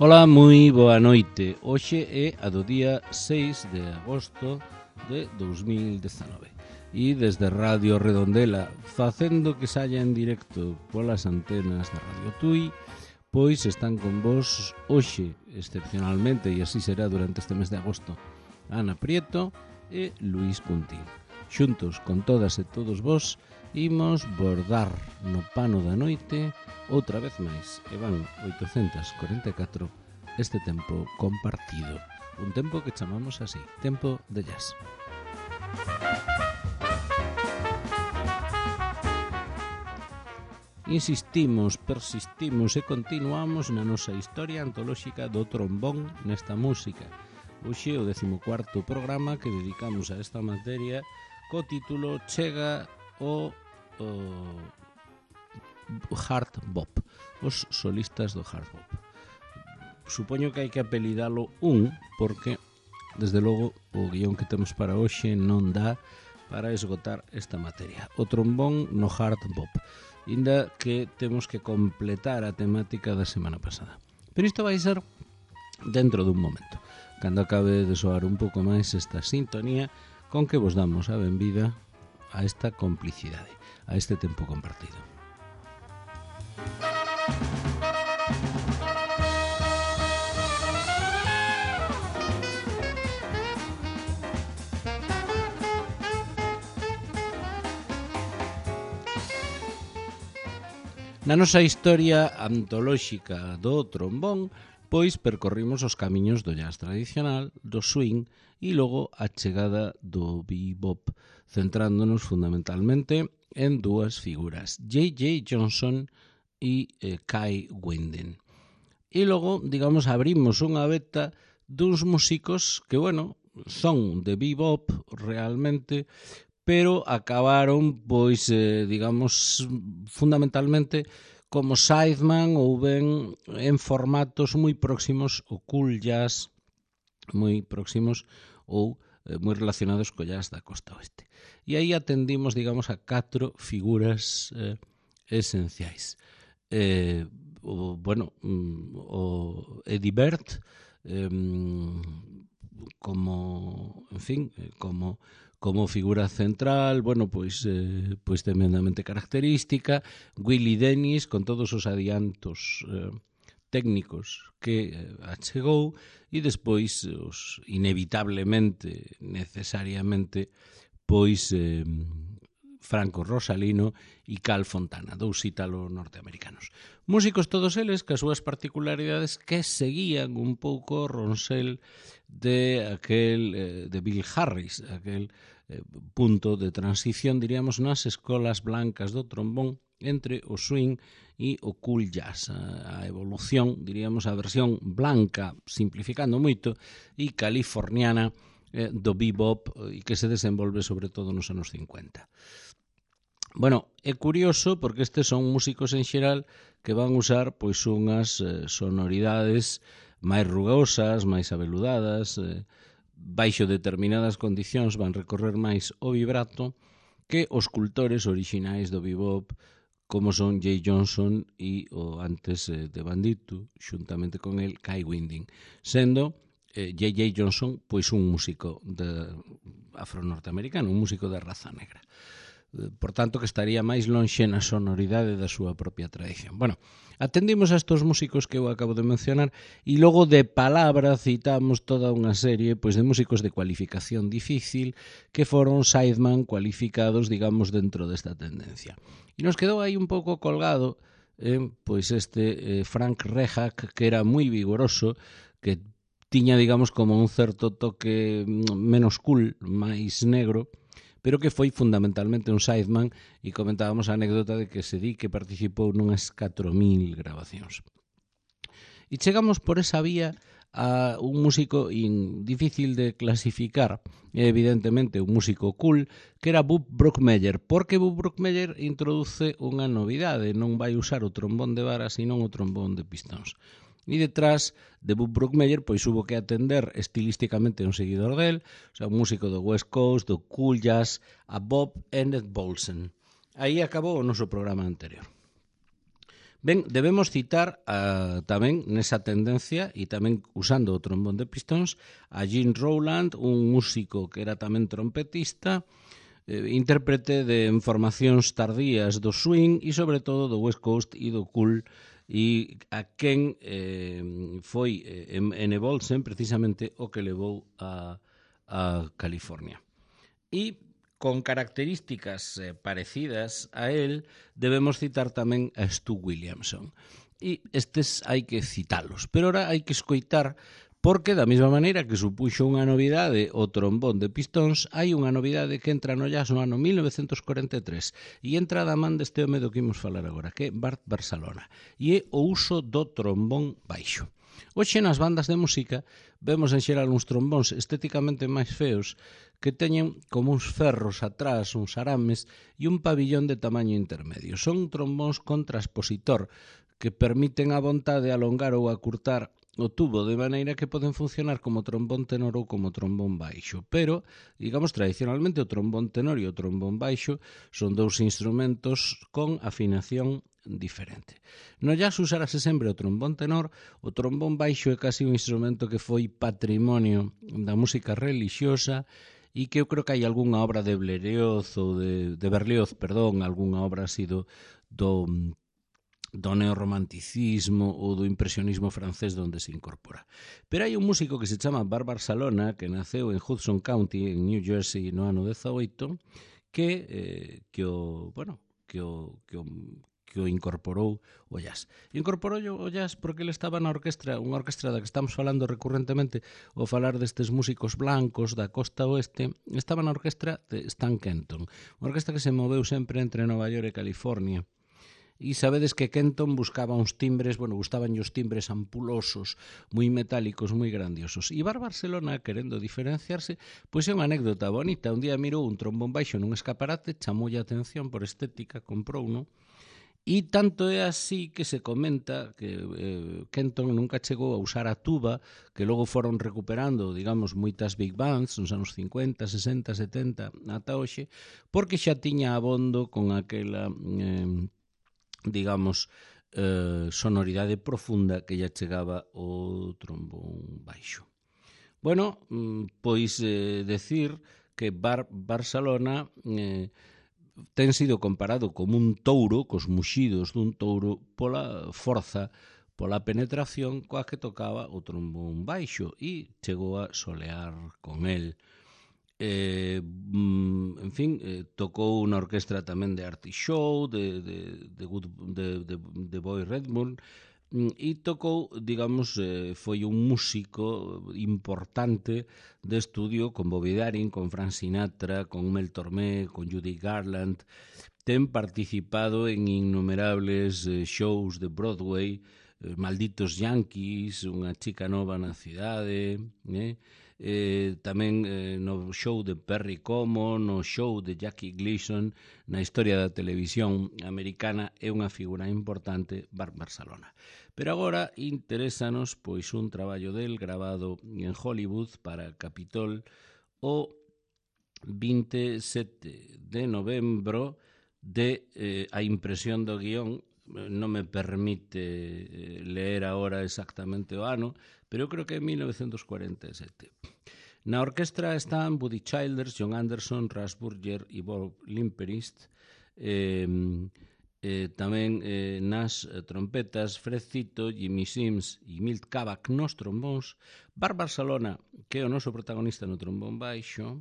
Ola, moi boa noite. Hoxe é a do día 6 de agosto de 2019 e desde Radio Redondela, facendo que saia en directo polas antenas de Radio Tui, pois están con vos hoxe, excepcionalmente, e así será durante este mes de agosto, Ana Prieto e Luís Puntín. Xuntos con todas e todos vos, imos bordar no pano da noite outra vez máis, e van 844 este tempo compartido, un tempo que chamamos así, tempo de jazz. Insistimos, persistimos e continuamos na nosa historia antolóxica do trombón nesta música. Hoxe o 14º programa que dedicamos a esta materia co título Chega o hard bop, os solistas do hard bop. Supoño que hai que apelidalo porque desde logo o guión que temos para hoxe non dá para esgotar esta materia. O trombón no hard bop, inda que temos que completar a temática da semana pasada. Pero isto vai ser dentro dun momento, cando acabe de soar un pouco máis esta sintonía con que vos damos a benvida a esta complicidade, a este tempo compartido. Na nosa historia antolóxica do trombón, pois percorrimos os camiños do jazz tradicional, do swing e logo a chegada do bebop, centrándonos fundamentalmente en dúas figuras, J.J. Johnson e Kai Winding. E logo, digamos, abrimos unha beta duns músicos que, bueno, son de bebop realmente, pero acabaron, pois, digamos, fundamentalmente como sideman ou ben en formatos moi próximos ao cool jazz, moi próximos ou moi relacionados co jazz da costa oeste. E aí atendimos, digamos, a 4 figuras esenciais. O Eddie Bird, como, en fin, como figura central, bueno, pois tremendamente característica, Willie Dennis con todos os adiantos técnicos que achegou e despois os inevitablemente, necesariamente, pois Franco Rosalino e Cal Fontana, dous ítalo-norteamericanos. Músicos todos eles que as súas particularidades que seguían un pouco o ronsel de Bill Harris, aquel punto de transición, diríamos, nas escolas blancas do trombón entre o swing e o cool jazz, a evolución, diríamos, a versión blanca, simplificando moito, e californiana do bebop e que se desenvolve sobre todo nos anos 50. Bueno, é curioso porque estes son músicos en xeral que van usar pois unhas sonoridades máis rugosas, máis abeludadas, baixo determinadas condicións van recorrer máis o vibrato que os cultores orixinais do bebop como son J. Johnson e o antes de Bandito, xuntamente con el Kai Winding, sendo J.J. Johnson pois un músico afro-norteamericano, un músico de raza negra. Por tanto, que estaría máis lonxe na sonoridade da súa propia tradición. Bueno, atendimos a estos músicos que eu acabo de mencionar e logo de palabra citamos toda unha serie pois de músicos de cualificación difícil que foron sideman cualificados, digamos, dentro desta tendencia. E nos quedou aí un pouco colgado pois este Frank Rehak, que era moi vigoroso, que tiña, digamos, como un certo toque menos cool, máis negro, pero que foi fundamentalmente un sideman e comentábamos a anécdota de que se di que participou nunhas 4.000 grabacións. E chegamos por esa vía a un músico difícil de clasificar, evidentemente un músico cool, que era Bub Brookmeyer, porque Bub Brookmeyer introduce unha novidade, non vai usar o trombón de vara, senón o trombón de pistóns. E detrás de Bub Brookmeyer pois hubo que atender estilísticamente un seguidor del, o sea, un músico do West Coast, do cool jazz, a Bob Ennett Bolsen. Aí acabou o noso programa anterior. Ben, debemos citar tamén nesa tendencia e tamén usando o trombón de pistóns a Gene Rowland, un músico que era tamén trompetista, intérprete de formacións tardías do swing e sobre todo do West Coast e do cool, e a quen foi en Evolsen precisamente o que levou a California. E con características parecidas a él, debemos citar tamén a Stu Williamson. E estes hai que citalos, pero ahora hai que escoitar, porque da mesma maneira que supuxo unha novidade o trombón de pistóns, hai unha novidade que entra no jazz no ano 1943 e entra da man deste home do que imos falar agora, que é Bart Barsalona, e é o uso do trombón baixo. Hoxe nas bandas de música vemos en xeral uns trombóns estéticamente máis feos que teñen como uns ferros atrás, uns arames e un pabillón de tamaño intermedio. Son trombóns con transpositor que permiten a vontade alongar ou acurtar o tubo de maneira que poden funcionar como trombón tenor ou como trombón baixo. Pero, digamos, tradicionalmente o trombón tenor e o trombón baixo son dous instrumentos con afinación diferente. No jazz usarase sempre o trombón tenor, o trombón baixo é casi un instrumento que foi patrimonio da música relixiosa e que eu creo que hai algunha obra de Berlioz ou de Berlioz, perdón, algunha obra así do neorromanticismo ou do impresionismo francés donde se incorpora. Pero hai un músico que se chama Bart Barsalona, que naceu en Hudson County, en New Jersey, no ano 18, que o incorporou o jazz. Incorporou o jazz porque ele estaba na orquestra, unha orquestra da que estamos falando recurrentemente ao falar destes músicos blancos da costa oeste, estaba na orquestra de Stan Kenton, unha orquestra que se moveu sempre entre Nova York e California. E sabedes que Kenton buscaba uns timbres, gustaban os timbres ampulosos, moi metálicos, moi grandiosos. E Bart Barsalona, querendo diferenciarse, pois é unha anécdota bonita. Un día mirou un trombón baixo nun escaparate, chamoulle a atención por estética, comprou uno, e tanto é así que se comenta que Kenton nunca chegou a usar a tuba, que logo foron recuperando, digamos, moitas big bands nos anos 50, 60, 70, ata hoxe, porque xa tiña abondo con aquela digamos, sonoridade profunda que lle chegaba o trombón baixo. Bueno, pois decir que Barsalona ten sido comparado como un touro, cos muxidos dun touro, pola forza, pola penetración coa que tocaba o trombón baixo e chegou a solear con el. En fin, tocou na orquestra tamén de Artie Shaw, de Boy Redmond, e tocou, digamos, foi un músico importante de estudio con Bobby Darin, con Frank Sinatra, con Mel Tormé, con Judy Garland. Ten participado en innumerables shows de Broadway, Malditos Yankees, Unha chica nova na cidade, tamén no show de Perry Como, no show de Jackie Gleason, na historia da televisión americana, é unha figura importante Bart Barsalona. Pero agora interésanos pois un traballo del grabado en Hollywood para Capitol o 27 de novembro de a impresión do guión. Non me permite leer agora exactamente o ano, pero eu creo que é 1947. Na orquestra están Buddy Childers, John Anderson, Russ Burger e Bob Limperist. Tamén nas trompetas Fred Cito, Jimmy Sims e Milt Kavak nos trombóns, Bart Barsalona, que é o noso protagonista no trombón baixo,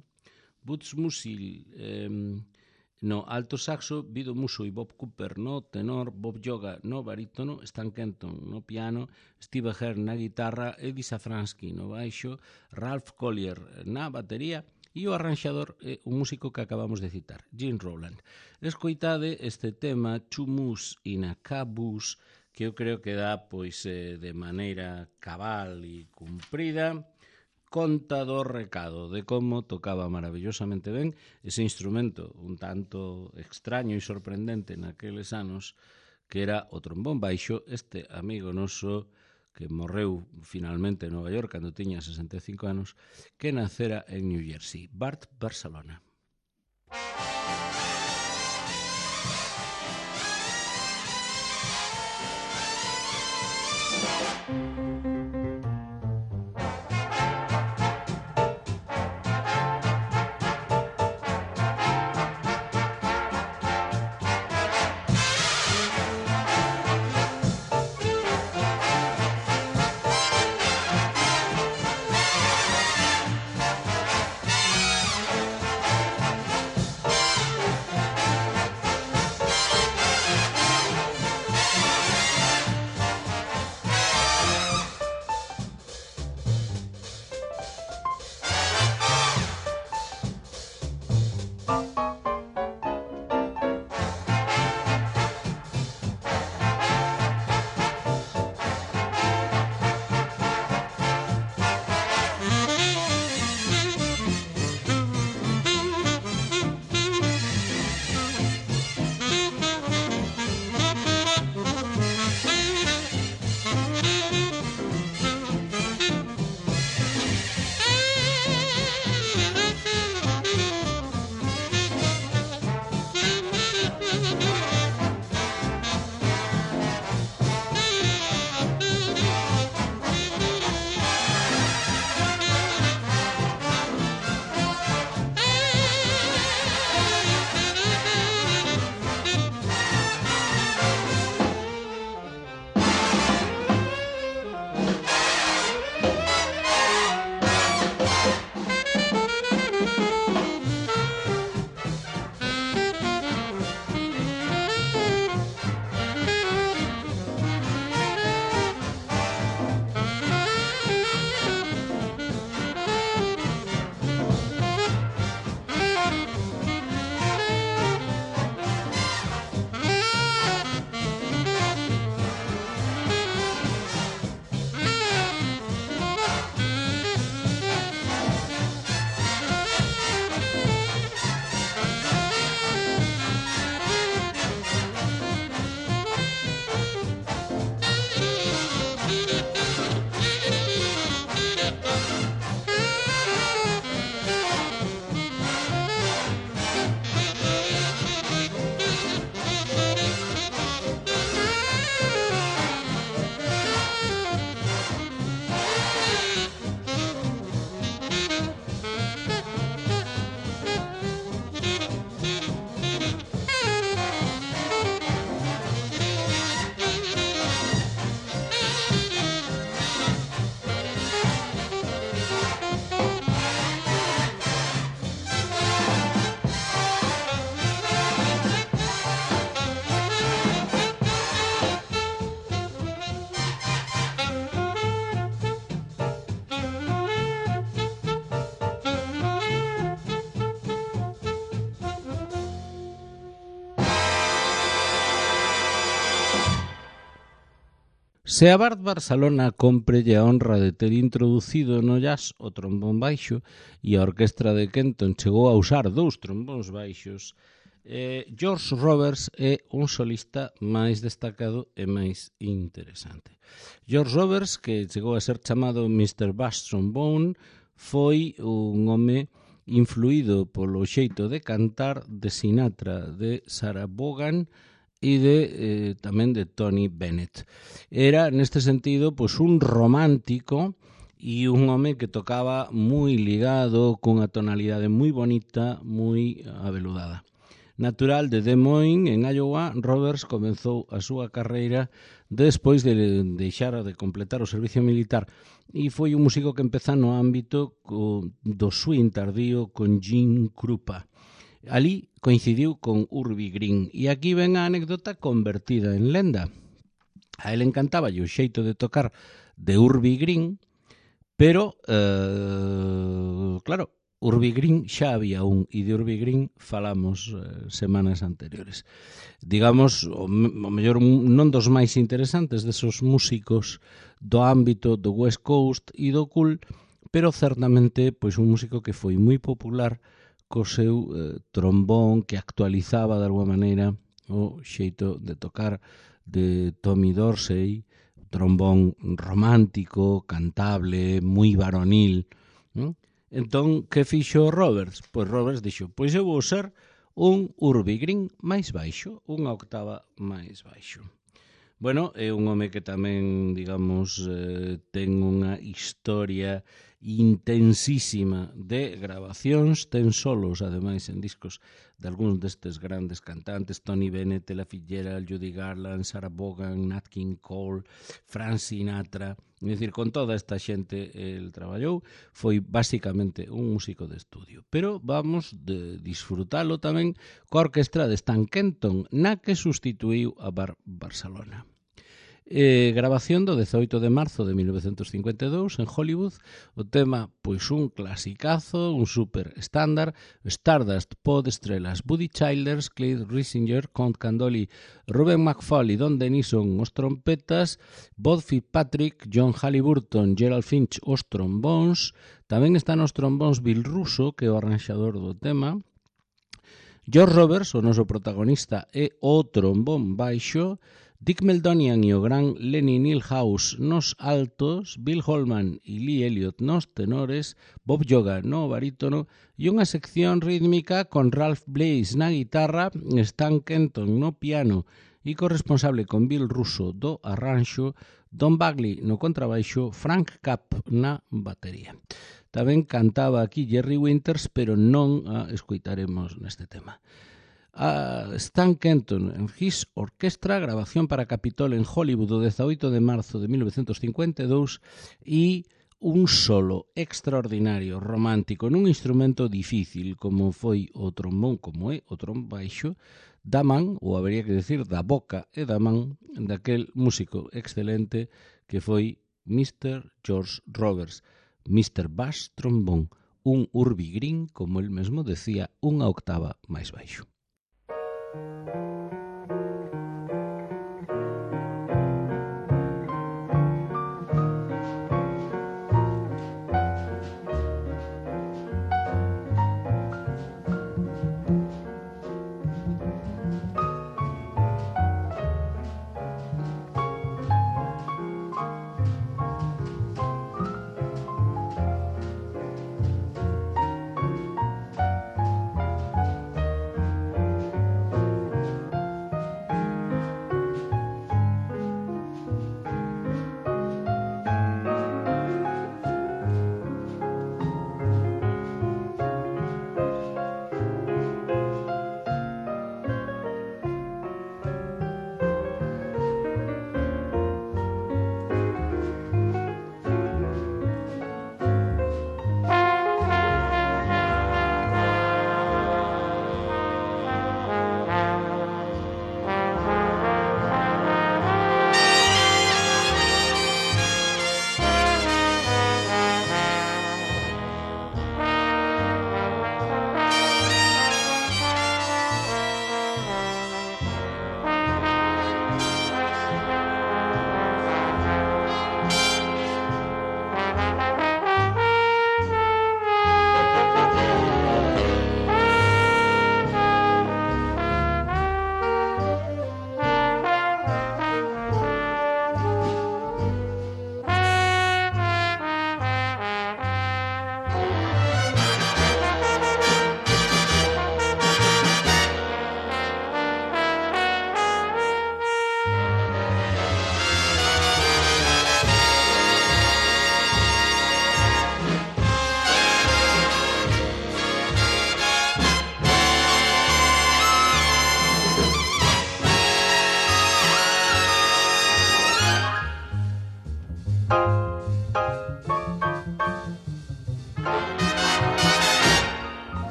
Butch Musil no alto saxo, Vido Musso e Bob Cooper no tenor, Bob Yoga no barítono, Stan Kenton no piano, Steve Hearn na guitarra, Eddie Safransky no baixo, Ralph Collier na batería e o arranxador é un músico que acabamos de citar, Gene Rowland. Escoitade este tema Chumus in a Caboose, que eu creo que dá pois de maneira cabal e cumprida conta do recado de como tocaba maravillosamente ben ese instrumento un tanto extraño e sorprendente naqueles anos, que era o trombón baixo, este amigo noso que morreu finalmente en Nova York cando tiña 65 anos, que nacera en New Jersey, Bart Barsalona. Se a Bard Barcelona cómprelle a honra de ter introducido no jazz o trombón baixo e a orquestra de Kenton chegou a usar 2 trombóns baixos, George Roberts é un solista máis destacado e máis interesante. George Roberts, que chegou a ser chamado Mr. Bass Trombone, foi un home influído polo xeito de cantar de Sinatra, de Sarah Vaughan e tamén de Tony Bennett. Era, neste sentido, pois un romántico e un home que tocaba moi ligado, cunha tonalidade moi bonita, moi aveludada. Natural de Des Moines, en Iowa, Roberts comezou a súa carreira despois de deixar de completar o servicio militar e foi un músico que empeza no ámbito do swing tardío con Gene Krupa. Ali coincidiu con Urbie Green e aquí ven a anécdota convertida en lenda. A él encantaba o xeito de tocar de Urbie Green, pero, claro, Urbie Green xa había un, e de Urbie Green falamos semanas anteriores. Digamos, o mellor non dos máis interesantes desos músicos do ámbito do West Coast e do cool, pero certamente pois un músico que foi moi popular co seu trombón, que actualizaba de alguma maneira o xeito de tocar de Tommy Dorsey, trombón romántico, cantable, moi varonil, non? Entón, que fixo Roberts? Pois Roberts dixo, pois eu vou ser un Urbie Green máis baixo, unha octava máis baixo. Bueno, é un home que tamén, digamos, ten unha historia intensísima de grabacións, ten solos, ademais, en discos de algúns destes grandes cantantes, Tony Bennett, Ella Fitzgerald, Judy Garland, Sarah Vaughan, Nat King Cole, Frank Sinatra. É dicir, con toda esta xente el traballou, foi basicamente un músico de estudio. Pero vamos de disfrutalo tamén coa orquestra de Stan Kenton, na que sustituíu a Barcelona. Grabación do 18 de marzo de 1952 en Hollywood. O tema, pois un clasicazo, un super estándar, Stardust, Pod Estrelas, Buddy Childers, Clyde Risinger, Count Candoli, Ruben McFall e Don Denison os trompetas, Bob Fitzpatrick, John Halliburton, Gerald Finch os trombóns, tamén están os trombóns Bill Russo, que é o arranxador do tema, George Roberts, o noso protagonista, é o trombón baixo, Dick Meldonian e o gran Lenny Milhouse nos altos, Bill Holman e Lee Elliott nos tenores, Bob Yoga no barítono e unha sección rítmica con Ralph Blaze na guitarra, Stan Kenton no piano e corresponsable con Bill Russo do arranxo, Don Bagley no contrabaixo, Frank Capp na batería. Tamén cantaba aquí Jerry Winters, pero non a escoitaremos neste tema. Stan Kenton en His Orchestra, grabación para Capitol en Hollywood o 18 de marzo de 1952 e un solo extraordinario, romántico, nun instrumento difícil como foi o trombón, como é o trombón baixo, da man, ou habería que decir da boca e da man, daquel músico excelente que foi Mr. George Roberts, Mr. Bass Trombón, un Urbie Green, como el mesmo decía, unha octava máis baixo.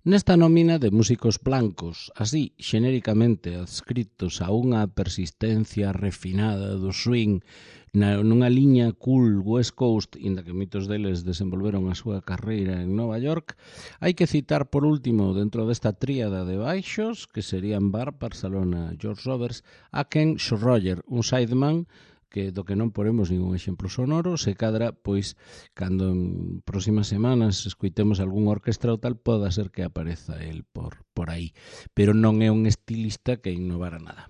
Nesta nómina de músicos blancos, así xenéricamente adscritos a unha persistencia refinada do swing nunha liña cool West Coast, inda que moitos deles desenvolveron a súa carreira en Nova York, hai que citar por último dentro desta tríada de baixos, que serían Barb Barcelona, George Roberts, a Ken Schroyer, un sideman do que non poremos ningún exemplo sonoro, se cadra, pois, cando en próximas semanas escoitemos algún orquestra ou tal, poda ser que apareza el por aí. Pero non é un estilista que innovara nada.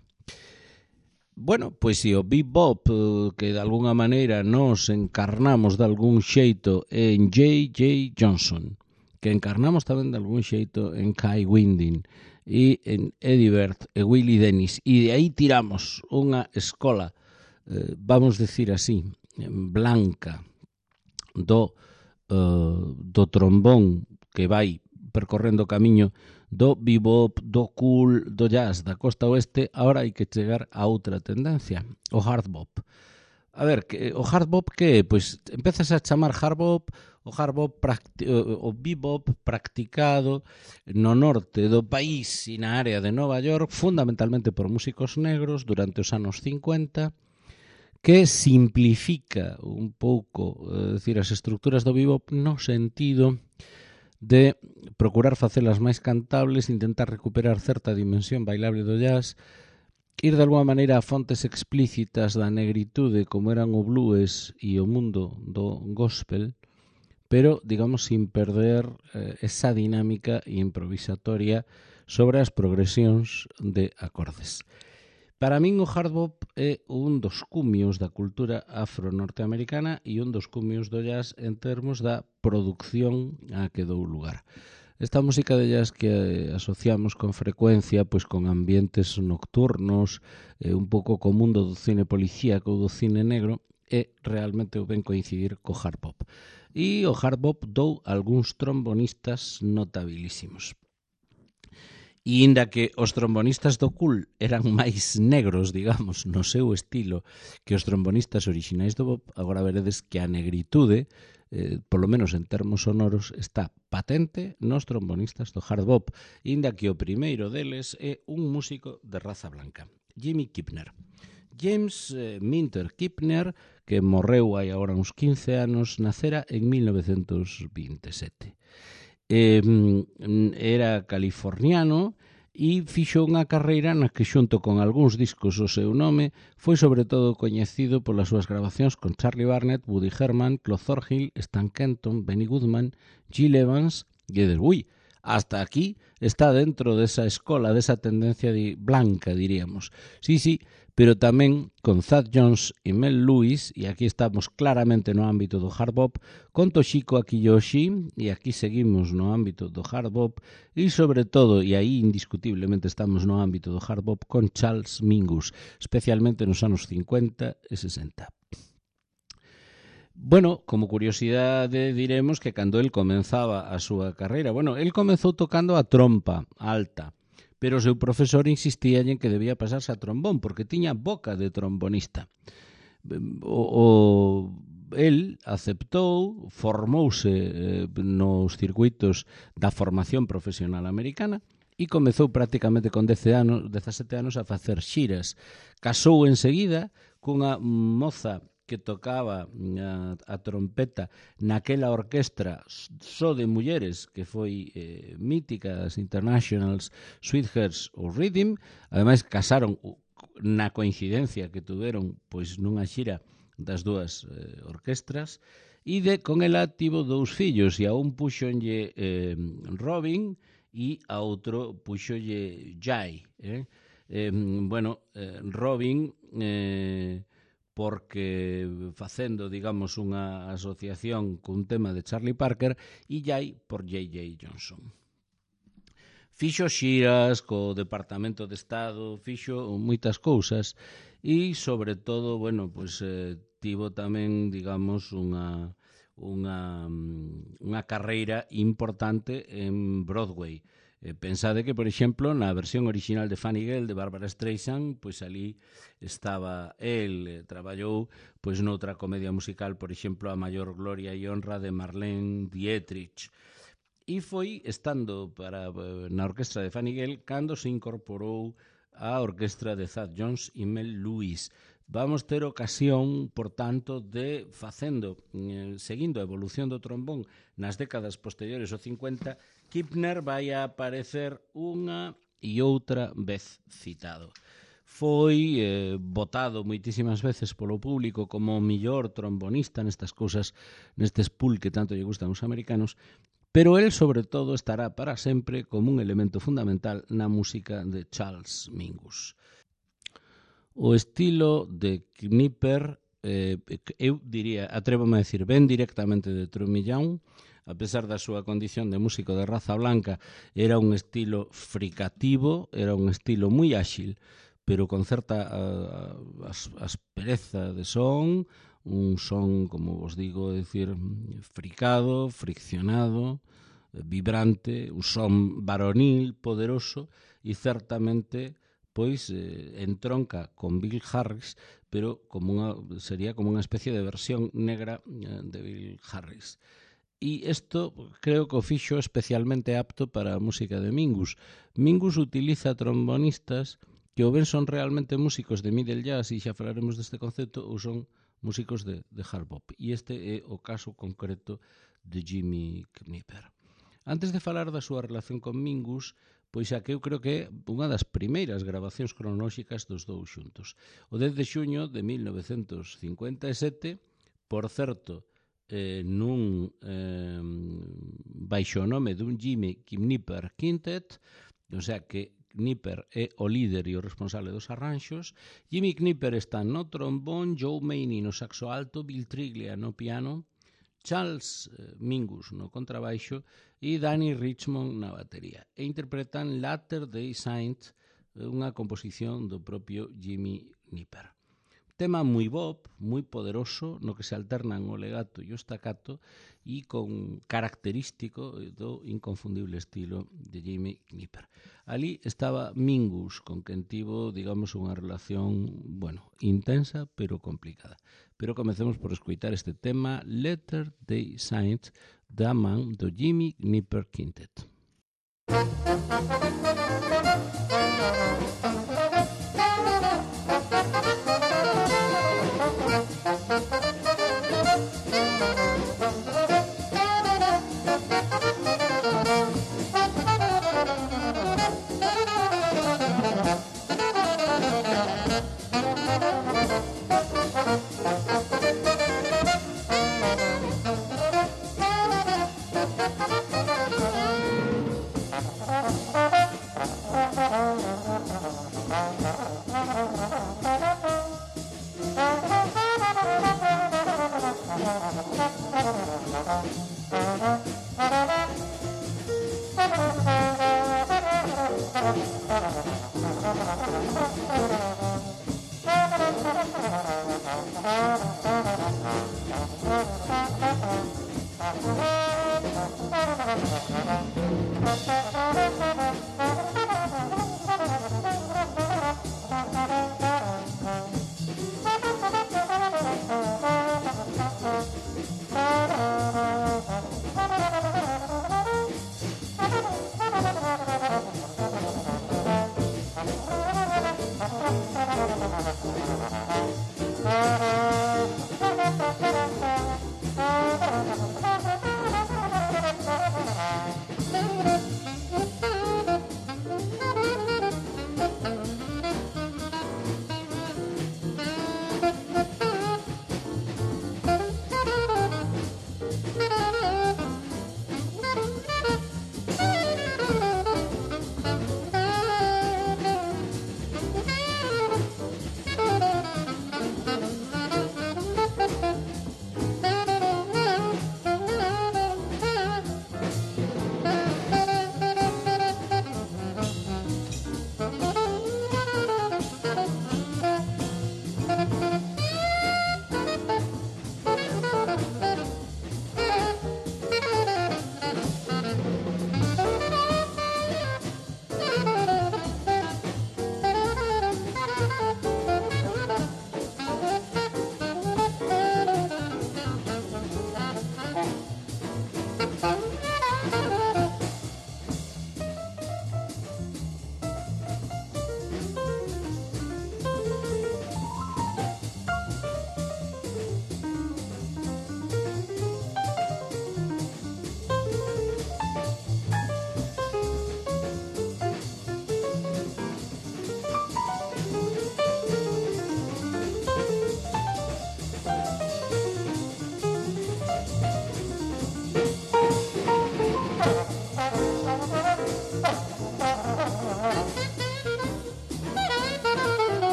Bueno, pois se o bebop, que de alguna maneira nos encarnamos de algún xeito en J.J. Johnson, que encarnamos tamén de algún xeito en Kai Winding, e en Eddie Vedder e Willie Dennis, e de aí tiramos unha escola, vamos decir así, blanca do trombón que vai percorrendo o camiño do bebop, do cool, do jazz da costa oeste. Ahora hai que chegar a outra tendencia, o hard bop. A ver, o hard bop que é? Pois empezas a chamar hard bop o bebop practicado no norte do país e na área de Nova York, fundamentalmente por músicos negros durante os anos 50, que simplifica un pouco, decir, as estructuras do bebop no sentido de procurar facelas máis cantables, intentar recuperar certa dimensión bailable do jazz, ir de alguma maneira a fontes explícitas da negritude como eran o blues e o mundo do gospel, pero, digamos, sin perder esa dinámica improvisatoria sobre as progresións de acordes. Para min o hard bop é un dos cumios da cultura afro-norteamericana e un dos cumios do jazz en termos da produción a que dou lugar. Esta música de jazz que asociamos con frecuencia pois con ambientes nocturnos, un pouco co mundo do cine policíaco ou do cine negro, é realmente ben coincidir co hard bop. E o hard bop dou algúns trombonistas notabilísimos. E inda que os trombonistas do cool eran máis negros, digamos, no seu estilo que os trombonistas orixinais do bop, agora veredes que a negritude, polo menos en termos sonoros, está patente nos trombonistas do hard bop, inda que o primeiro deles é un músico de raza blanca, Jimmy Kipner. James Minter Kipner, que morreu hai agora uns 15 anos, nacera en 1927. Era californiano e fixo unha carreira na que xunto con algúns discos o seu nome foi sobre todo coñecido polas súas grabacións con Charlie Barnet, Woody Herman, Claude Thornhill, Stan Kenton, Benny Goodman, Gil Evans e Edelweiss. Hasta aquí está dentro desa escola, desa tendencia blanca, diríamos. Sí, pero tamén con Thad Jones e Mel Lewis, e aquí estamos claramente no ámbito do hard bop, con Toshiko Akiyoshi, e aquí seguimos no ámbito do hard bop, e sobre todo, e aí indiscutiblemente estamos no ámbito do hard bop, con Charles Mingus, especialmente nos anos 50 e 60. Bueno, como curiosidade diremos que cando el comenzaba a súa carreira, el comezou tocando a trompa alta, pero o seu profesor insistía en que debía pasarse a trombón, porque tiña boca de trombonista. El aceptou, formouse nos circuitos da formación profesional americana e comezou prácticamente con 17 anos a facer xiras. Casou enseguida cunha moza que tocaba a trompeta naquela orquestra só de mulleres que foi mítica, as Internationals, Sweethearts ou Rhythm. Ademais, casaron na coincidencia que tuveron pois nunha xira das dúas orquestras, e con ela tivo 2 fillos, e a un puxonlle Robin e a outro puxolle Jai. Robin porque facendo, digamos, unha asociación cun tema de Charlie Parker, e Jai por J.J. Johnson. Fixo xiras co Departamento de Estado, fixo moitas cousas e, sobre todo, tivo tamén, digamos, unha carreira importante en Broadway. Pensade que, por exemplo, na versión original de Funny Girl de Barbara Streisand, pois ali estaba el, traballou pois noutra comedia musical, por exemplo, A Maior Gloria e Honra de Marlene Dietrich. E foi estando na orquestra de Fanny Gale cando se incorporou a orquestra de Thad Jones e Mel Lewis. Vamos ter ocasión, por tanto, de seguindo a evolución do trombón nas décadas posteriores ao 50, Kipner vai a aparecer unha e outra vez citado. Foi votado moitísimas veces polo público como o millor trombonista nestas cousas, nestes pool que tanto lle gustan os americanos, pero el, sobre todo, estará para sempre como un elemento fundamental na música de Charles Mingus. O estilo de Knipper, eu diría, atrévome a decir, ben directamente de Trumillán. A pesar da súa condición de músico de raza blanca, era un estilo fricativo, era un estilo moi áxil, pero con certa aspereza de son, un son, como vos digo, decir, fricado, friccionado, vibrante, un son varonil, poderoso, e certamente pois entronca con Bill Harris, pero sería como unha especie de versión negra de Bill Harris. E isto creo que o fixo especialmente apto para a música de Mingus. Mingus utiliza trombonistas que ou ben son realmente músicos de middle jazz, e xa falaremos deste concepto, ou son músicos de hard bop. E este é o caso concreto de Jimmy Knipper. Antes de falar da súa relación con Mingus, pois xa que eu creo que é unha das primeiras grabacións cronolóxicas dos dous xuntos. O 10 de xuño de 1957, por certo, baixo o nome dun Jimmy Knipper Quintet, o sea que Knipper é o líder e o responsable dos arranxos. Jimmy Knipper está no trombón, Joe Maney no saxo alto, Bill Triglia no piano, Charles Mingus no contrabaixo e Danny Richmond na batería. E interpretan Latter-day Saint, unha composición do propio Jimmy Knipper. Tema moi bop, moi poderoso, no que se alternan o legato e o staccato, e con característico do inconfundible estilo de Jimmy Knipper. Ali estaba Mingus, con quen tivo, digamos, unha relación, intensa, pero complicada. Pero comecemos por escoitar este tema, Latter-day Saint, da man do Jimmy Knipper Quintet.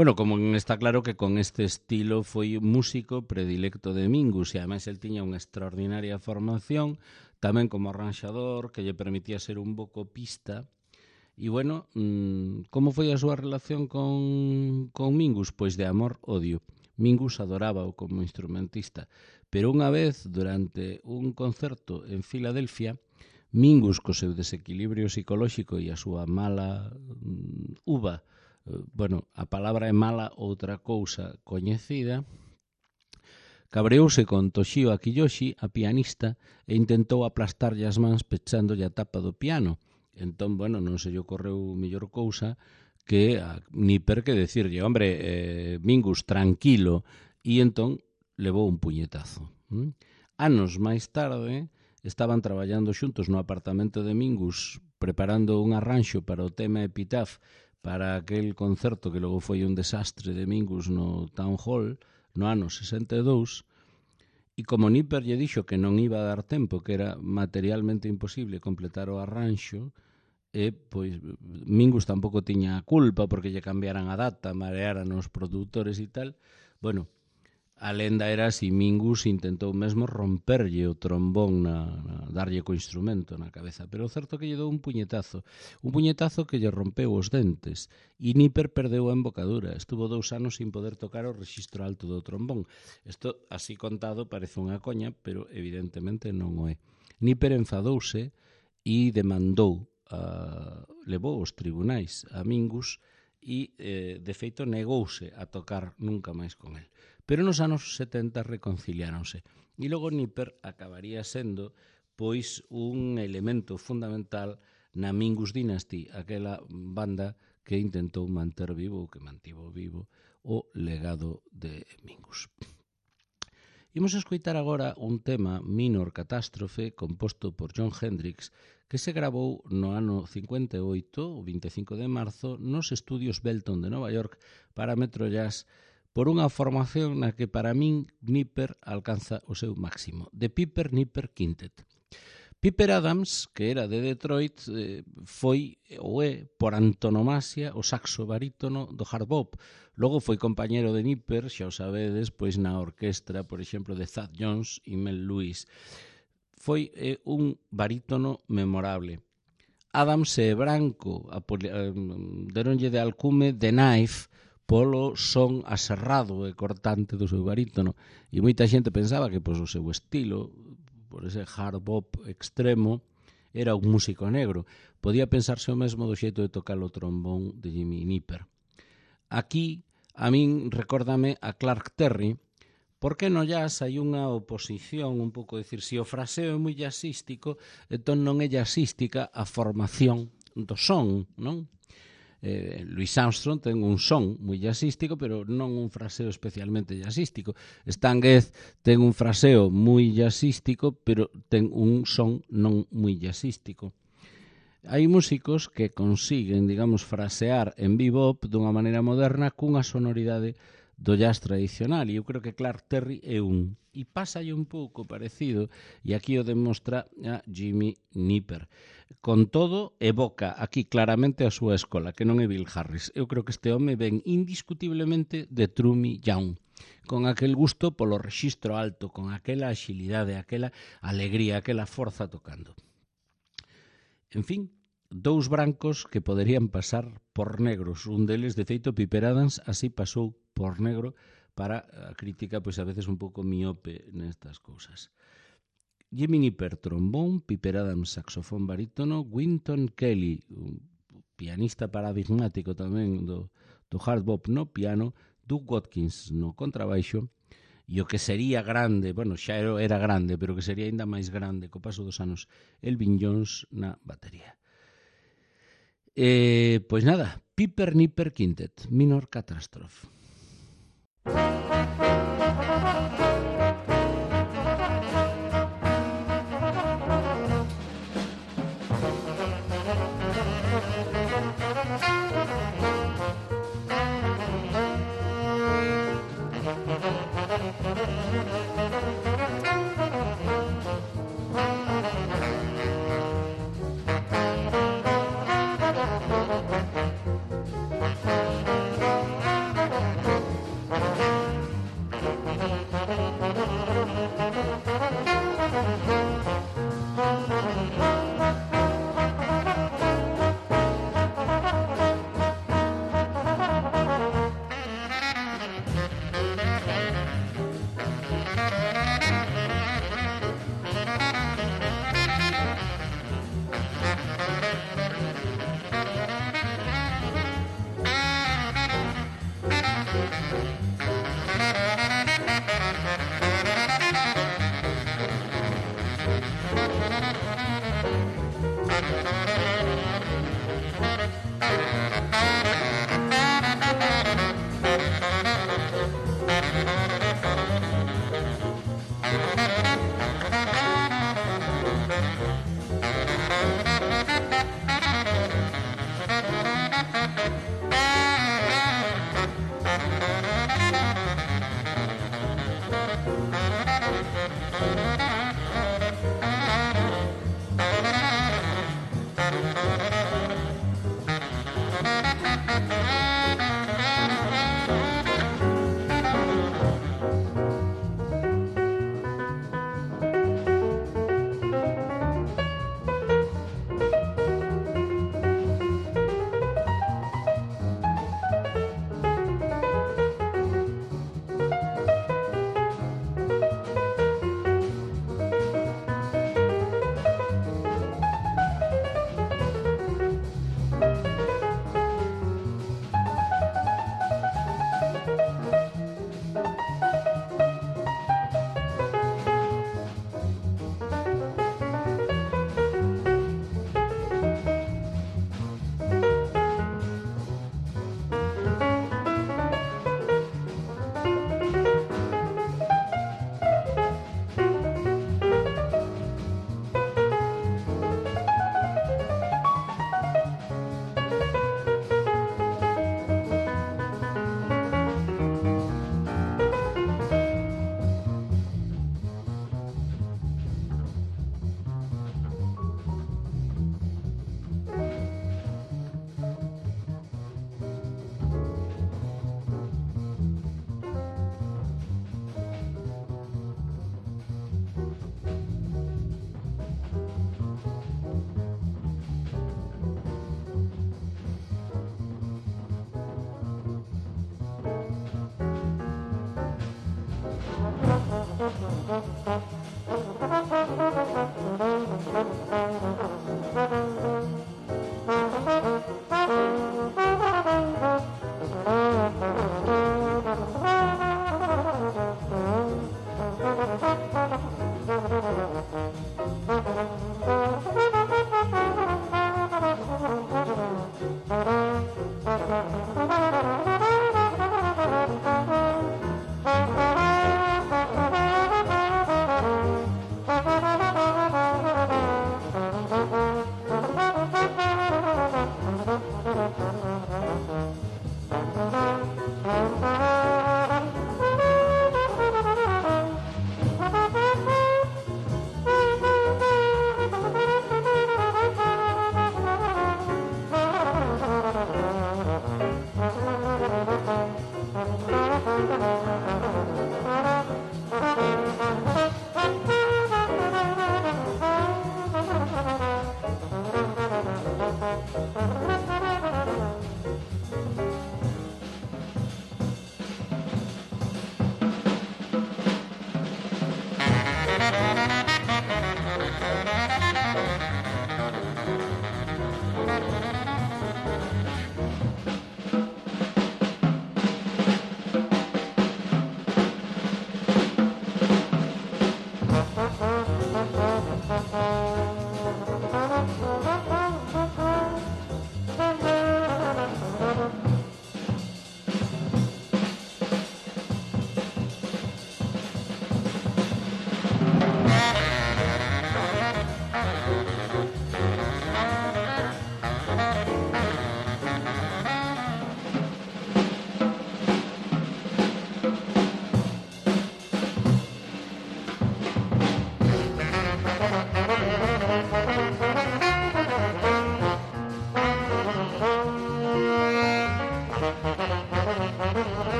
Bueno, como está claro que con este estilo foi músico predilecto de Mingus, e ademais el tiña unha extraordinaria formación tamén como arranxador que lle permitía ser un bo copista. E bueno, como foi a súa relación con Mingus? Pois de amor-odio. Mingus adorábao como instrumentista, pero unha vez, durante un concerto en Filadelfia, Mingus, co seu desequilibrio psicolóxico e a súa mala uva, bueno, a palabra é mala outra cousa coñecida, cabreouse con Toshio Akiyoshi, a pianista, e intentou aplastarlle as mans pechándolle a tapa do piano. Entón, bueno, non se lle ocorreu mellor cousa que a Nipper que decirlle, hombre, Mingus, tranquilo, e entón levou un puñetazo. Anos máis tarde, estaban traballando xuntos no apartamento de Mingus, preparando un arranxo para o tema Epitaph, para aquel concerto que logo foi un desastre de Mingus no Town Hall, no ano 62, e como Nipper lle dixo que non iba a dar tempo, que era materialmente imposible completar o arranxo, e pois Mingus tampouco tiña a culpa porque lle cambiaran a data, marearan os produtores e tal. Bueno, a lenda era si Mingus intentou mesmo romperlle o trombón, darlle co instrumento na cabeza, pero o certo que lle dou un puñetazo que lle rompeu os dentes, e Nipper perdeu a embocadura, estuvo 2 anos sin poder tocar o rexistro alto do trombón. Isto, así contado, parece unha coña, pero evidentemente non o é. Nipper enfadouse e demandou, levou aos tribunais a Mingus e, de feito, negouse a tocar nunca máis con el. Pero nos anos 70 reconciliáronse. E logo Nipper acabaría sendo pois un elemento fundamental na Mingus Dynasty, aquela banda que intentou manter vivo, ou que mantivo vivo, o legado de Mingus. Imos escoitar agora un tema, Minor Catástrofe, composto por Jon Hendricks, que se gravou no ano 58, o 25 de marzo, nos estudios Belton de Nova York para Metro Jazz, por unha formación na que para min Nipper alcanza o seu máximo, The Piper Nipper Quintet. Piper Adams, que era de Detroit, foi ou é por antonomasia o saxo barítono do hard bop. Logo foi compañero de Nipper, xa o sabedes, pois na orquestra, por exemplo, de Thad Jones e Mel Lewis. Foi un barítono memorable. Adams é branco, deronlle de alcume The Knife, polo son aserrado e cortante do seu barítono, e moita xente pensaba que pois, o seu estilo, por ese hard bop extremo, era un músico negro. Podía pensarse o mesmo do xeito de tocar o trombón de Jimmy Nipper. Aquí, a min, recórdame a Clark Terry, porque no jazz hai unha oposición, un pouco decir, se o fraseo é moi jazzístico, entón non é jazzística a formación do son, non? Louis Armstrong ten un son moi jazzístico, pero non un fraseo especialmente jazzístico. Stan Getz ten un fraseo moi jazzístico, pero ten un son non moi jazzístico. Hai músicos que consiguen, digamos, frasear en bebop dunha maneira moderna cunha sonoridade do jazz tradicional, e eu creo que Clark Terry é un. E pásalle un pouco parecido, e aquí o demostra a Jimmy Nipper. Con todo, evoca aquí claramente a súa escola, que non é Bill Harris. Eu creo que este home ven indiscutiblemente de Trummy Young, con aquel gusto polo rexistro alto, con aquela axilidade, aquela alegría, aquela forza tocando. En fin, dous brancos que poderían pasar por negros. Un deles, de feito, Piper Adams, así pasou por negro para a crítica, pois a veces un pouco miope nestas cousas. Jimmy Nipper, trombón, Piper Adams, saxofón barítono, Wynton Kelly, un pianista paradigmático tamén do hard bop no piano, Doug Watkins no contrabaixo, e o que sería grande, bueno, xa era grande, pero que sería ainda máis grande co paso dos anos, Elvin Jones na batería. Pois nada, Piper Nipper Quintet, Minor Catástrofe.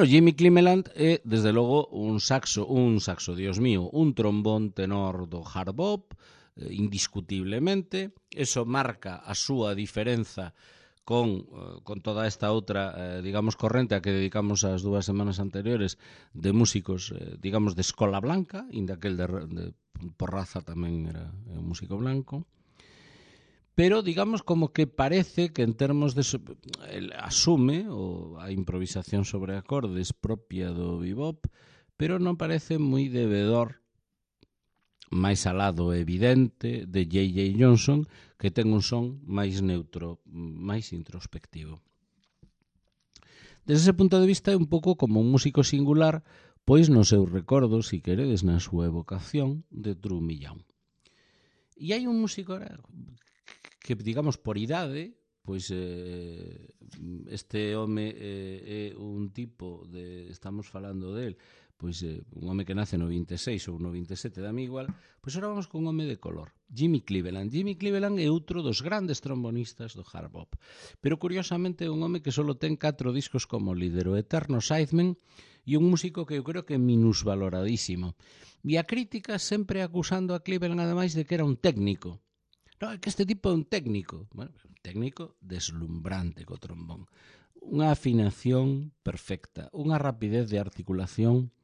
Bueno, Jimmy Cleveland é, desde logo, un saxo, Dios mío, un trombón tenor do hard bop, indiscutiblemente. Eso marca a súa diferenza con toda esta outra, digamos, corrente a que dedicamos as 2 semanas anteriores de músicos, digamos, de escola blanca, inda aquel por raza tamén era un músico blanco. Pero, digamos, como que parece que en termos de... asume a improvisación sobre acordes propia do bebop, pero non parece moi debedor, máis alado e evidente, de J.J. Johnson, que ten un son máis neutro, máis introspectivo. Desde ese punto de vista é un pouco como un músico singular, pois no seu recordo, si queredes, na súa evocación de True Millán. E hai un músico que, digamos, por idade, pois este home é un tipo de, estamos falando del, pois un home que nace no 26 ou no 27, dame igual, pois ahora vamos con un home de color, Jimmy Cleveland. Jimmy Cleveland é outro dos grandes trombonistas do hard bop, pero curiosamente é un home que só ten 4 discos como líder, o eterno sideman, e un músico que eu creo que é minusvaloradísimo. E a crítica sempre acusando a Cleveland, ademais, de que era un técnico. No, é que este tipo é un técnico. Bueno, un técnico deslumbrante co trombón. Unha afinación perfecta, unha rapidez de articulación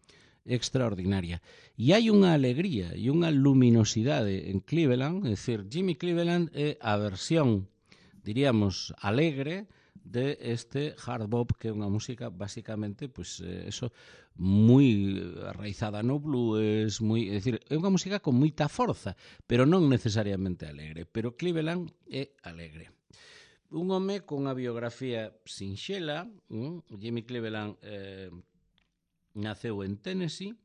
extraordinaria. E hai unha alegría e unha luminosidade en Cleveland, é dicir, Jimmy Cleveland é a versión, diríamos, alegre de este hard bop, que é unha música basicamente, pois eso, moi arraizada no blues, é dicir, é unha música con moita forza, pero non necesariamente alegre, pero Cleveland é alegre. Un home con unha biografía sinxela, Jimmy Cleveland naceu en Tennessee,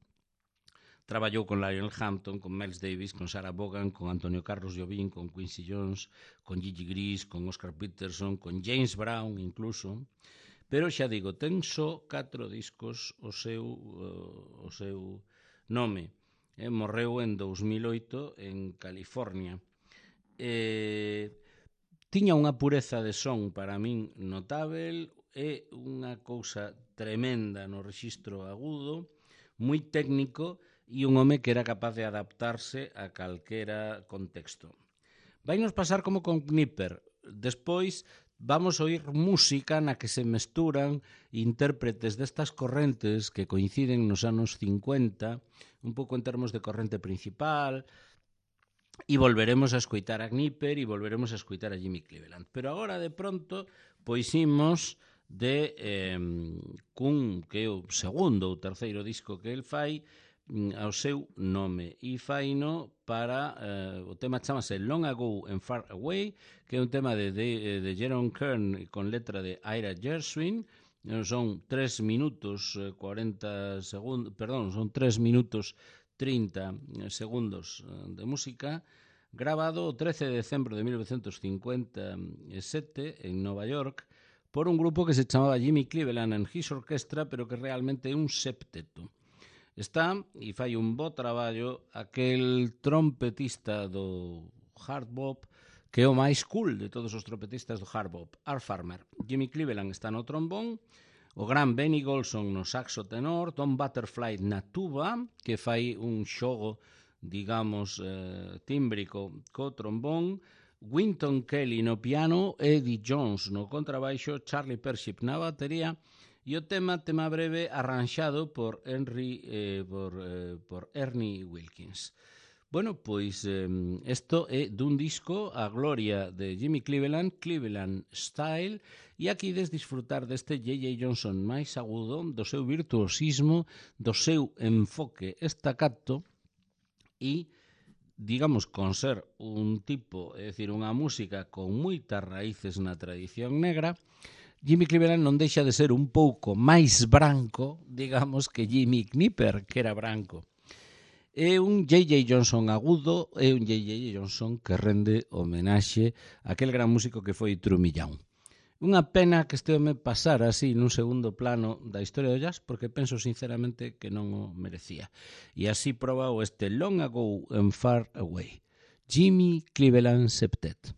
traballou con Lionel Hampton, con Miles Davis, con Sarah Vaughan, con Antonio Carlos Jobim, con Quincy Jones, con Gigi Gris, con Oscar Peterson, con James Brown incluso, pero xa digo, ten só 4 discos o seu nome. Morreu en 2008 en California. Tiña unha pureza de son para min notável, é unha cousa tremenda no rexistro agudo, moi técnico, e un home que era capaz de adaptarse a calquera contexto. Vainos pasar como con Knipper. Despois vamos oír música na que se mesturan intérpretes destas correntes que coinciden nos anos 50, un pouco en termos de corrente principal, e volveremos a escoitar a Knipper e volveremos a escoitar a Jimmy Cleveland. Pero agora, de pronto, pois imos de cun, que é o segundo ou terceiro disco que el fai, ao seu nome, e faino para o tema chamase Long Ago and Far Away, que é un tema de Jerome Kern con letra de Ira Gershwin. Son 3 minutos 40 segundos, perdón, son 3 minutos 30 segundos de música, grabado o 13 de decembro de 1957 en Nova York por un grupo que se chamaba Jimmy Cleveland and His Orchestra, pero que realmente é un septeto. Está, e fai un bo traballo, aquel trompetista do hard bop que é o máis cool de todos os trompetistas do hard bop, Art Farmer. Jimmy Cleveland está no trombón, o gran Benny Golson no saxo tenor, Tom Butterfly na tuba, que fai un xogo, digamos, tímbrico co trombón, Wynton Kelly no piano, Eddie Jones no contrabaixo, Charlie Pership na batería, e o tema breve arranxado por Ernie Wilkins. Bueno, pois isto é dun disco a gloria de Jimmy Cleveland, Cleveland Style, e aquí des disfrutar deste J.J. Johnson máis agudo, do seu virtuosismo, do seu enfoque estacato e, digamos, con ser un tipo, é dicir, unha música con moitas raíces na tradición negra, Jimmy Cleveland non deixa de ser un pouco máis branco, digamos, que Jimmy Knipper, que era branco. É un J.J. Johnson agudo, é un J.J. Johnson que rende homenaxe a aquel gran músico que foi True Millán. Unha pena que este home pasara así nun segundo plano da historia do jazz, porque penso sinceramente que non o merecía. E así proba o este Long Ago and Far Away. Jimmy Cleveland Septet.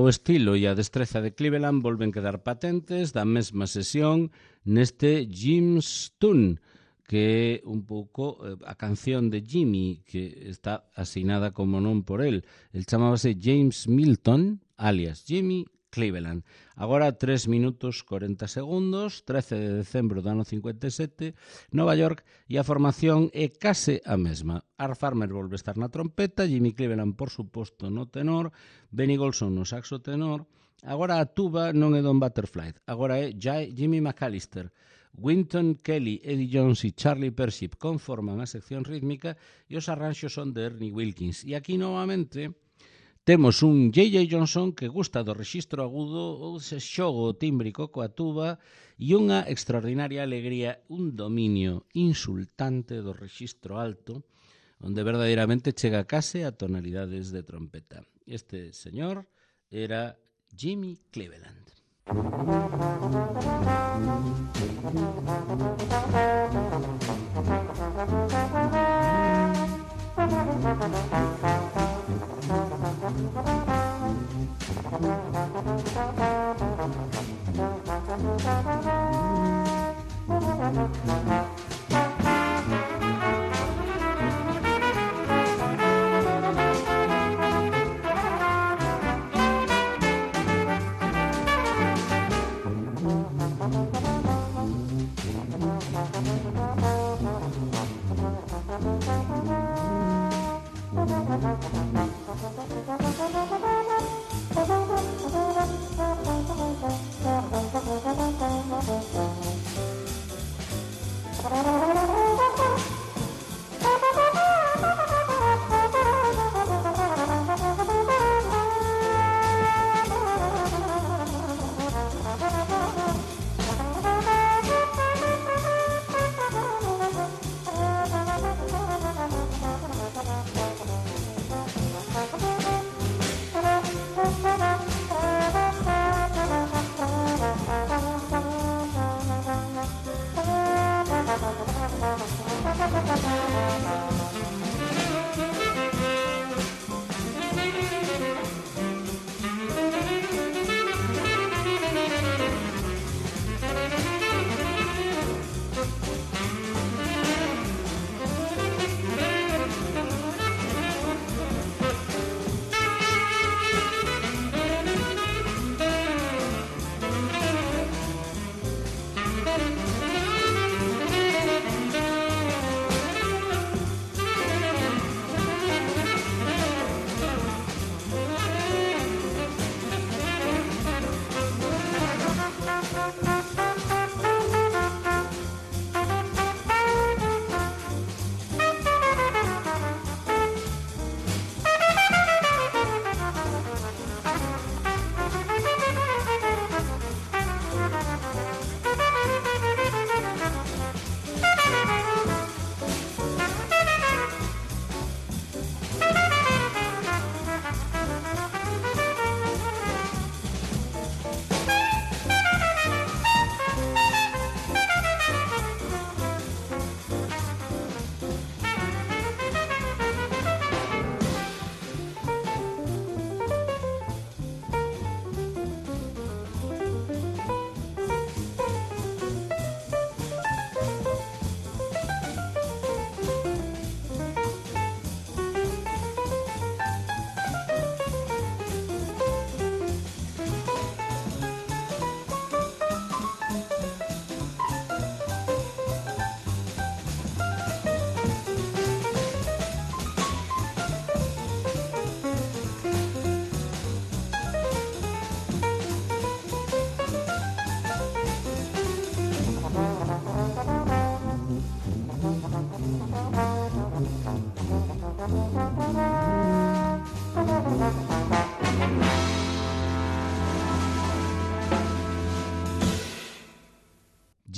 O estilo e a destreza de Cleveland volven quedar patentes da mesma sesión neste Jim's Tune, que é un pouco a canción de Jimmy, que está asinada como non por él. El chamábase James Milton, alias Jimmy Cleveland. Agora 3 minutos 40 segundos, 13 de decembro do ano 57, Nova York, e a formación é case a mesma. Art Farmer volve a estar na trompeta, Jimmy Cleveland, por suposto, no tenor, Benny Golson no saxo tenor. Agora a tuba non é Don Butterfly, agora é Jimmy McAllister. Wynton Kelly, Eddie Jones e Charlie Persip conforman a sección rítmica e os arranxos son de Ernie Wilkins. E aquí, novamente, temos un J.J. Johnson que gusta do rexistro agudo, ou se xogo tímbrico coa tuba, e unha extraordinaria alegría, un dominio insultante do rexistro alto, onde verdadeiramente chega case a tonalidades de trompeta. Este señor era Jimmy Cleveland.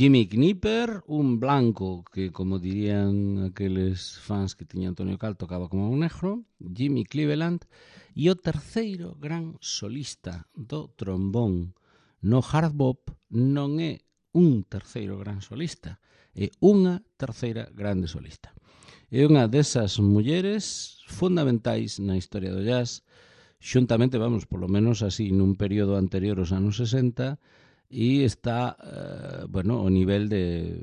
Jimmy Knipper, un blanco que, como dirían aqueles fans que tiña Antonio Cal, tocaba como un negro, Jimmy Cleveland, e o terceiro gran solista do trombón no hard bop non é un terceiro gran solista, é unha terceira grande solista. É unha desas mulleres fundamentais na historia do jazz, xuntamente, vamos, polo menos así, nun período anterior aos anos 60, e está, bueno, o nivel de,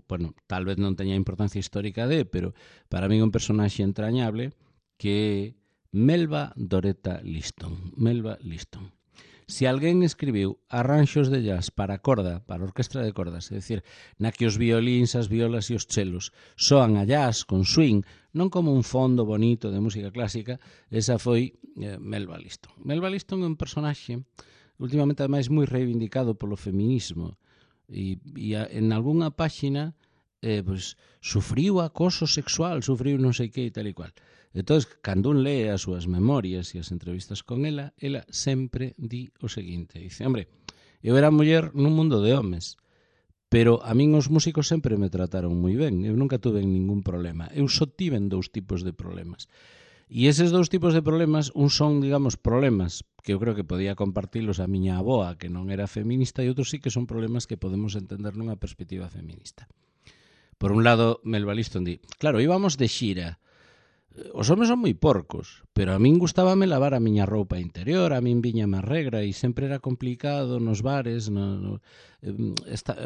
bueno, tal vez non teña importancia histórica pero para mí é un personaxe entrañable que é Melba Doreta Liston. Melba Liston. Se alguén escribiu arranxos de jazz para corda, para orquestra de cordas, é dicir, na que os violíns, as violas e os chelos soan a jazz con swing, non como un fondo bonito de música clásica, esa foi Melba Liston. Melba Liston é un personaxe últimamente ademais moi reivindicado polo feminismo e en algunha páxina pues, sufriu acoso sexual, sufriu non sei que e tal e cual. Entón, cando un lee as súas memorias e as entrevistas con ela sempre di o seguinte, dice, hombre, eu era muller nun mundo de homes, pero a min os músicos sempre me trataron moi ben, eu nunca tuve ningún problema, eu só tiven dous tipos de problemas. E eses dous tipos de problemas, un son, digamos, problemas que eu creo que podía compartilos a miña aboa, que non era feminista, e outros sí que son problemas que podemos entender nunha perspectiva feminista. Por un lado, Melba Liston di, claro, íbamos de xira, os homes son moi porcos, pero a min gustábame lavar a miña roupa interior, a min viñame a regra e sempre era complicado nos bares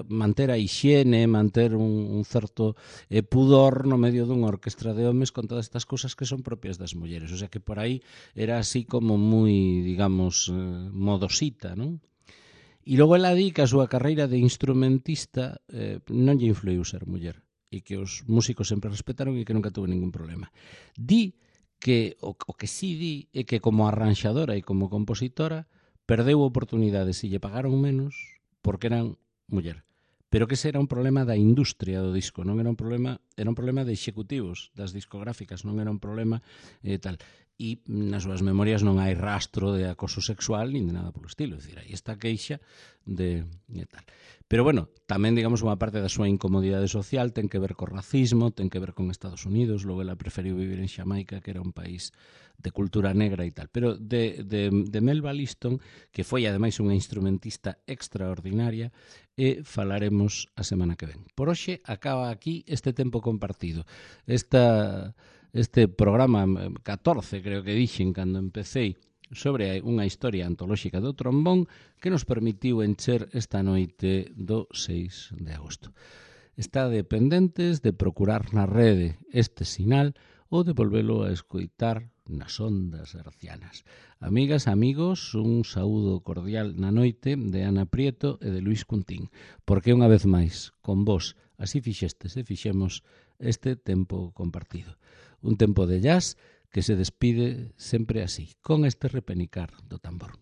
manter a hixiene, manter un certo pudor no medio dunha orquestra de homes con todas estas cousas que son propias das mulleres. O sea que por aí era así como moi, digamos, modosita, non? E logo ela di que a súa carreira de instrumentista non lle influiu ser muller e que os músicos sempre respetaron e que nunca tuve ningún problema. Di que o que sí di é que como arranxadora e como compositora perdeu oportunidades e lle pagaron menos porque eran muller. Pero que ese era un problema da industria do disco, non era un problema de executivos das discográficas, non era un problema tal. E nas súas memorias non hai rastro de acoso sexual nin de nada polo estilo, é dicir, aí está queixa de tal. Pero bueno, tamén, digamos, unha parte da súa incomodidade social ten que ver co racismo, ten que ver con Estados Unidos, logo ela preferiu vivir en Xamaica, que era un país de cultura negra e tal. Pero de Melba Liston, que foi ademais unha instrumentista extraordinaria, e falaremos a semana que ven. Por hoxe acaba aquí este tempo compartido. Este programa 14, creo que dixen cando empecéi, sobre unha historia antolóxica do trombón que nos permitiu encher esta noite do 6 de agosto. Está dependentes de procurar na rede este sinal ou de volvelo a escoitar nas ondas hercianas. Amigas, amigos, un saúdo cordial na noite de Ana Prieto e de Luís Cuntín, porque unha vez máis, con vos, así fixestes e fixemos este tempo compartido. Un tempo de jazz que se despide sempre así, con este repenicar do tambor.